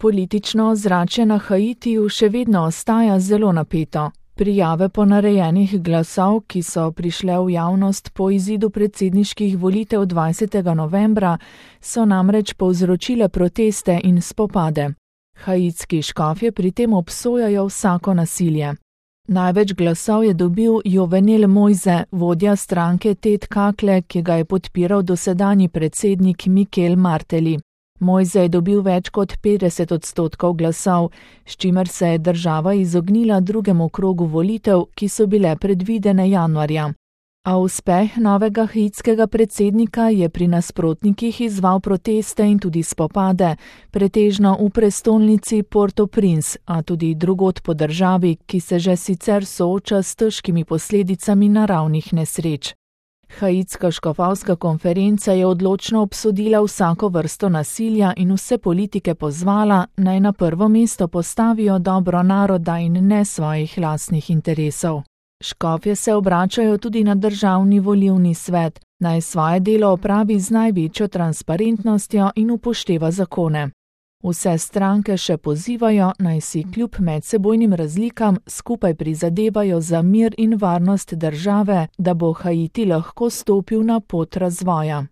Politično ozračje na Haitiju še vedno ostaja zelo napeto. Prijave ponarejenih glasov, ki so prišle v javnost po izidu predsedniških volitev 20. novembra, so namreč povzročile proteste in spopade. Haitski škofje pri tem obsojajo vsako nasilje. Največ glasov je dobil Jovenel Moise, vodja stranke Tet Kakle, ki ga je podpiral dosedanji predsednik Mikel Martelly. Moise je dobil več kot 50% glasov, s čimer se je država izognila drugemu krogu volitev, ki so bile predvidene januarja. A uspeh novega haitskega predsednika je pri nasprotnikih izzval proteste in tudi spopade, pretežno v prestolnici Port-au-Prince, a tudi drugod po državi, ki se že sicer sooča s težkimi posledicami naravnih nesreč. Haitska škofovska konferenca je odločno obsodila vsako vrsto nasilja in vse politike pozvala, naj na prvo mesto postavijo dobro naroda in ne svojih lastnih interesov. Škofje se obračajo tudi na državni volilni svet, naj svoje delo opravi z največjo transparentnostjo in upošteva zakone. Vse stranke še pozivajo, naj si kljub medsebojnim razlikam skupaj prizadevajo za mir in varnost države, da bo Haiti lahko stopil na pot razvoja.